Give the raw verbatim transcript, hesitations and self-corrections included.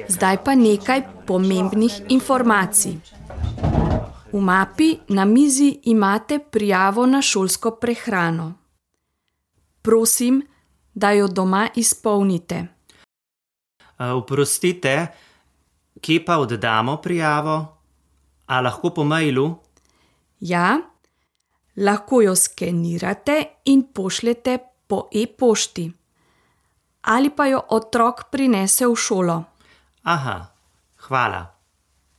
Zdaj pa nekaj pomembnih informacij. V mapi na mizi imate prijavo na šolsko prehrano. Prosim, da jo doma izpolnite. Oprostite, kje pa oddamo prijavo? A lahko po mailu? Ja, lahko jo skenirate in pošljete po e-pošti. Ali pa jo otrok prinese v šolo. Aha, hvala.